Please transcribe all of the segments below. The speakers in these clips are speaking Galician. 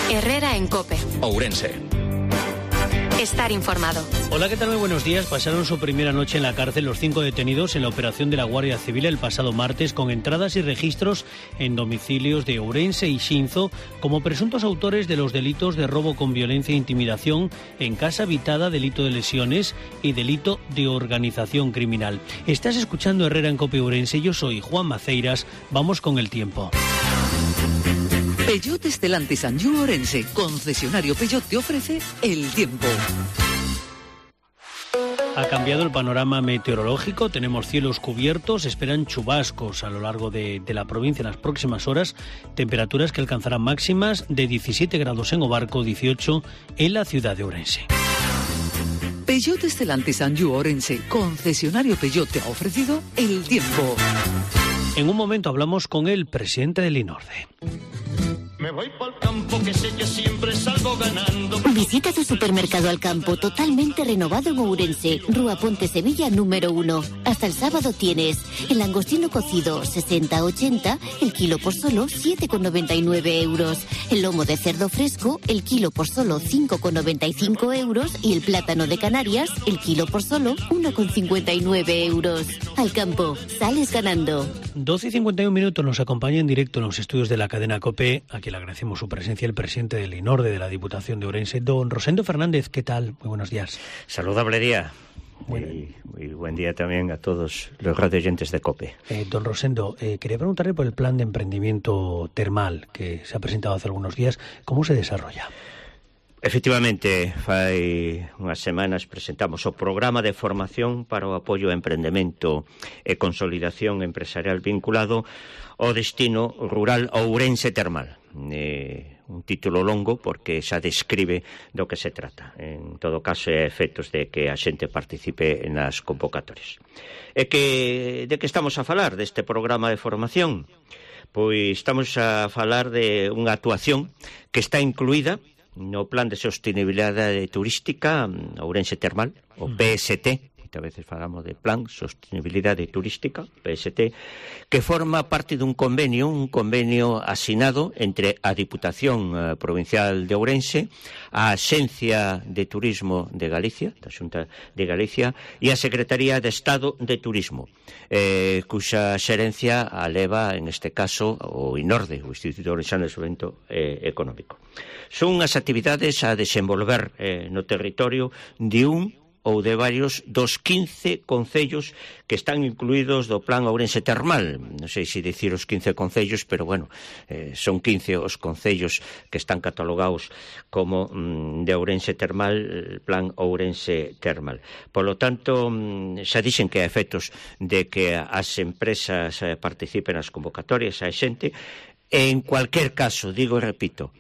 Herrera en COPE. Ourense. Estar informado. Hola, ¿qué tal? Muy buenos días. Pasaron su primera noche en la cárcel los 5 detenidos en la operación de la Guardia Civil el pasado martes, con entradas y registros en domicilios de Ourense y Xinzo como presuntos autores de los delitos de robo con violencia e intimidación en casa habitada, delito de lesiones y delito de organización criminal. Estás escuchando Herrera en COPE Ourense. Yo soy Juan Maceiras. Vamos con el tiempo. Peugeot Stellantis Anjou Ourense, concesionario Peugeot, te ofrece el tiempo. Ha cambiado el panorama meteorológico, tenemos cielos cubiertos, esperan chubascos a lo largo de la provincia en las próximas horas, temperaturas que alcanzarán máximas de 17 grados en Obarco, 18 en la ciudad de Ourense. Peugeot Stellantis Anjou Ourense, concesionario Peugeot, te ha ofrecido el tiempo. En un momento hablamos con el presidente del INORDE. Me voy pa'l campo, que sé que siempre salgo ganando. Visita tu supermercado Al Campo, totalmente renovado en Ourense, Rúa Ponte Sevilla número 1. Hasta el sábado tienes el langostino cocido 60-80, el kilo por solo 7,99 euros. El lomo de cerdo fresco, el kilo por solo 5,95 euros. Y el plátano de Canarias, el kilo por solo 1,59 euros. Al Campo, sales ganando. 12:51 nos acompaña en directo en los estudios de la cadena COPE. Aquí le agradecemos su presencia el presidente del INORDE de la Diputación de Ourense, don Rosendo Fernández. ¿Qué tal? Muy buenos días. Saludable día. Muy buen día también a todos los radioyentes de COPE. Don Rosendo, quería preguntarle por el plan de emprendimiento termal que se ha presentado hace algunos días. ¿Cómo se desarrolla? Efectivamente, fai unhas semanas presentamos o programa de formación para o apoio ao emprendemento e consolidación empresarial vinculado ao destino rural Ourense Termal. Un título longo porque xa describe do que se trata. En todo caso, é efectos de que a xente participe nas convocatorias. De que estamos a falar deste programa de formación? Pois estamos a falar de unha actuación que está incluída no Plan de Sostenibilidade Turística Ourense Termal, o PST, a veces falamos de Plan Sostenibilidade Turística, PST, que forma parte dun convenio asinado entre a Diputación Provincial de Ourense, a Axencia de Turismo de Galicia, da Xunta de Galicia, e a Secretaría de Estado de Turismo, cuxa xerencia a leva, en este caso, o INORDE, o Instituto Ourensano de Fomento Económico. Son as actividades a desenvolver no territorio de un ou de varios dos 15 concellos que están incluídos do Plan Ourense Termal. Non sei se dicir os 15 concellos, pero bueno, son 15 os concellos que están catalogados como de Ourense Termal, Plan Ourense Termal. Por lo tanto, xa dixen que a efectos de que as empresas participen nas convocatorias, a xente, en cualquier caso, digo e repito,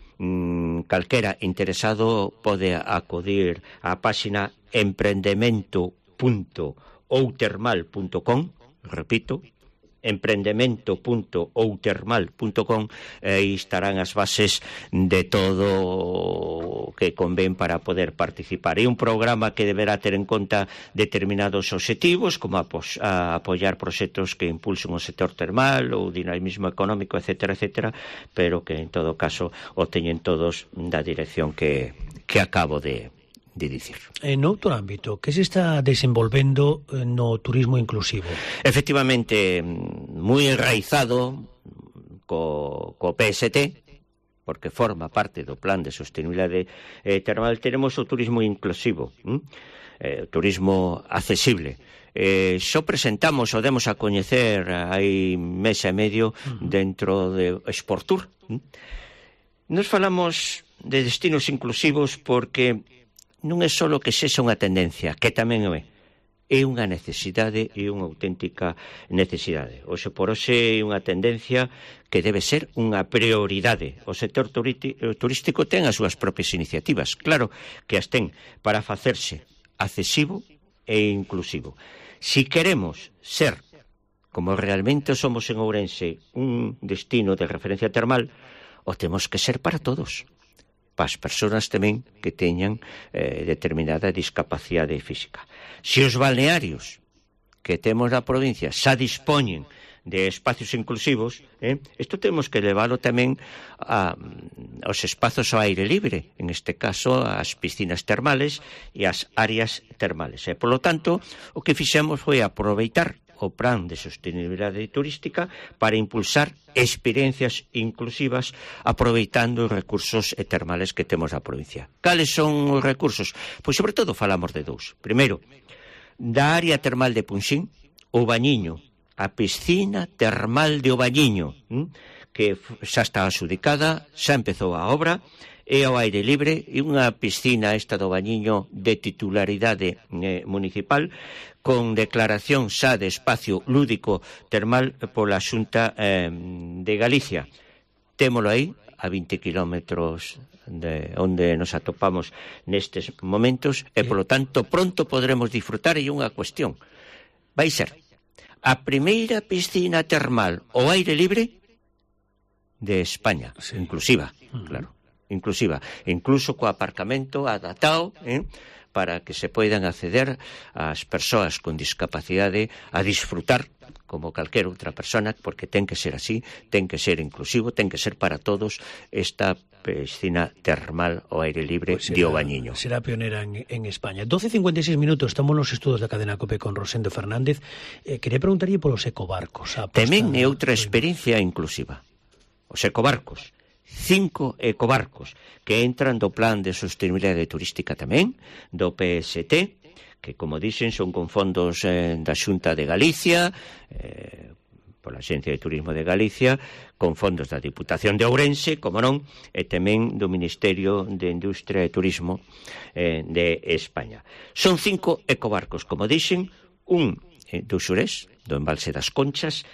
calquera interesado pode acudir á páxina emprendemento.outermal.com, repito, emprendemento.outermal.com, e aí estarán as bases de todo o que convén para poder participar. É un programa que deberá ter en conta determinados obxectivos, como apoiar proxectos que impulsen o sector termal ou dinamismo económico, etcétera, etcétera, pero que en todo caso o teñen todos da dirección que acabo de dicir. En outro ámbito, que se está desenvolvendo no turismo inclusivo? Efectivamente, moi enraizado co PST, porque forma parte do Plan de Sostenibilidade Termal, tenemos o turismo inclusivo, turismo accesible. Xo presentamos o demos a coñecer hai mes e medio dentro de Exportur. Nos falamos de destinos inclusivos porque non é só que sexa unha tendencia, que tamén é unha necesidade e unha auténtica necesidade. Hoxe por hoxe é unha tendencia que debe ser unha prioridade. O sector turístico ten as súas propias iniciativas, claro que as ten, para facerse accesivo e inclusivo. Si queremos ser, como realmente somos en Ourense, un destino de referencia termal, o temos que ser para todos. Para as persoas tamén que teñan determinada discapacidade física. Se os balnearios que temos na provincia xa dispoñen de espacios inclusivos, isto temos que leválo tamén aos espazos ao aire libre, en este caso as piscinas termales e as áreas termales. Por lo tanto, o que fixemos foi aproveitar o plan de sostenibilidade turística para impulsar experiencias inclusivas aproveitando os recursos termales que temos na provincia. Cales son os recursos? Pois sobre todo falamos de dous. Primeiro, da área termal de Punxín, o Bañiño, a piscina termal de O Bañiño, que xa está adxudicada, xa empezou a obra, e ao aire libre, e unha piscina esta do Bañiño de titularidade municipal, con declaración xa de espacio lúdico termal pola Xunta de Galicia. Témolo aí, a 20 kilómetros de onde nos atopamos nestes momentos, e, polo tanto, pronto podremos disfrutar. E unha cuestión, vai ser a primeira piscina termal ao aire libre de España, inclusiva, claro, inclusiva, incluso co aparcamento adaptado, para que se poidan acceder as persoas con discapacidade a disfrutar como calquera outra persona, porque ten que ser así, ten que ser inclusivo, ten que ser para todos esta piscina termal ao aire libre de O Bañiño. Será pionera en España. 12:56 minutos, estamos nos estudos da cadena COPE con Rosendo Fernández. Quería preguntarlle polos ecobarcos. Tamén é outra experiencia inclusiva. Os ecobarcos. 5 ecobarcos que entran do plan de sostenibilidade turística tamén, do PST, que, como dixen, son con fondos da Xunta de Galicia, pola Axencia de Turismo de Galicia, con fondos da Diputación de Ourense, como non, e tamén do Ministerio de Industria e Turismo de España. Son 5 ecobarcos, como dixen, un do Xurés, do embalse das Conchas,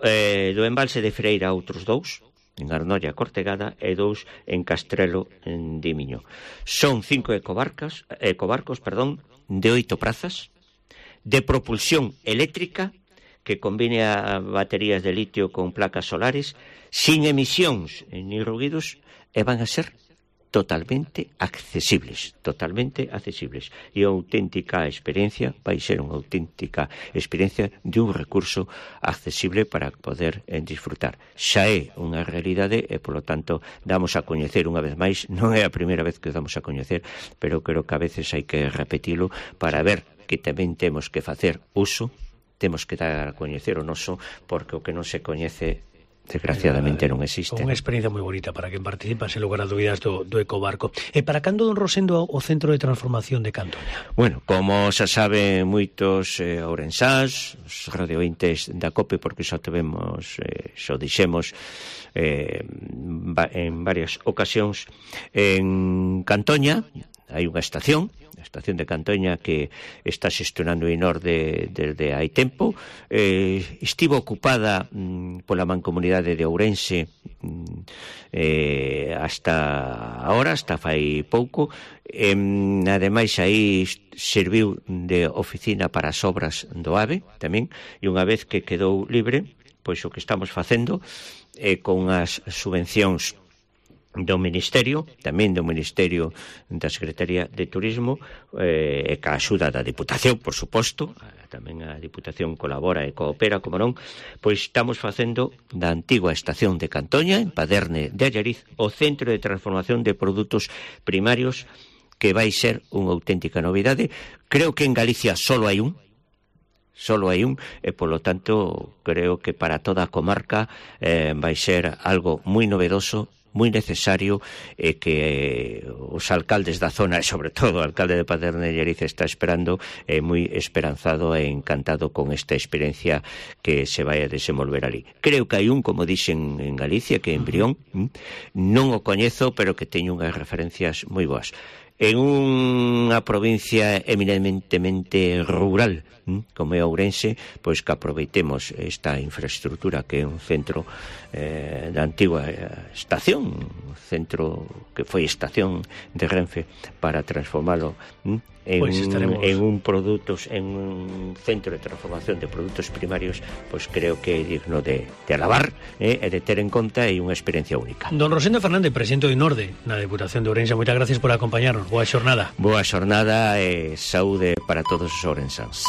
do embalse de Freira outros 2, en Arnoia Cortegada, e 2 en Castrelo de Miño. Son 5 ecobarcos, de 8 prazas, de propulsión eléctrica, que combine a baterías de litio con placas solares, sin emisións ni ruidos, e van a ser totalmente accesibles. E a auténtica experiencia vai ser unha auténtica experiencia de un recurso accesible para poder disfrutar. Xa é unha realidade e, polo tanto, damos a coñecer unha vez máis, non é a primeira vez que damos a coñecer, pero creo que a veces hai que repetilo para ver que tamén temos que facer uso, temos que dar a coñecer o noso, porque o que non se coñece desgraciadamente non existe. Unha experiencia moi bonita para quen participa, sen lugar a dúbidas, do ecobarco. E para cando, don Rosendo, o Centro de Transformación de Cantoña? Bueno, como xa saben moitos ourensáns, os radiointes da COPE, porque xa tivemos, xa dixemos en varias ocasións, en Cantoña hai unha estación, a estación de Cantoña, que está xestionando Inor desde hai tempo. Estivo ocupada pola Mancomunidade de Ourense hasta ahora, hasta fai pouco. Ademais, aí serviu de oficina para as obras do AVE tamén, e unha vez que quedou libre, pois o que estamos facendo con as subvencións do Ministerio, tamén do Ministerio da Secretaría de Turismo, e ca axuda da Diputación, por suposto, tamén a Diputación colabora e coopera, como non, pois estamos facendo da antigua estación de Cantoña, en Paderne de Allariz, o Centro de Transformación de Produtos Primarios, que vai ser unha auténtica novidade. Creo que en Galicia só hai un, e polo tanto creo que para toda a comarca vai ser algo moi novedoso, moi necesario, e que os alcaldes da zona, e sobre todo o alcalde de Paderne de Allariz, está esperando, moi esperanzado e encantado con esta experiencia que se vai a desenvolver ali. Creo que hai un, como dixen en Galicia, que é en Brión, non o coñezo, pero que teño unhas referencias moi boas. En unha provincia eminentemente rural como é Ourense, pois que aproveitemos esta infraestructura que é un centro da antigua estación, un centro que foi estación de Renfe, para transformalo en un centro de transformación de produtos primarios. Pois creo que é digno de alabar e de ter en conta, e unha experiencia única. Don Rosendo Fernández, presidente do INORDE na Deputación de Ourense, moitas gracias por acompañarnos. Boa xornada. Boa xornada e saúde para todos os ourensáns.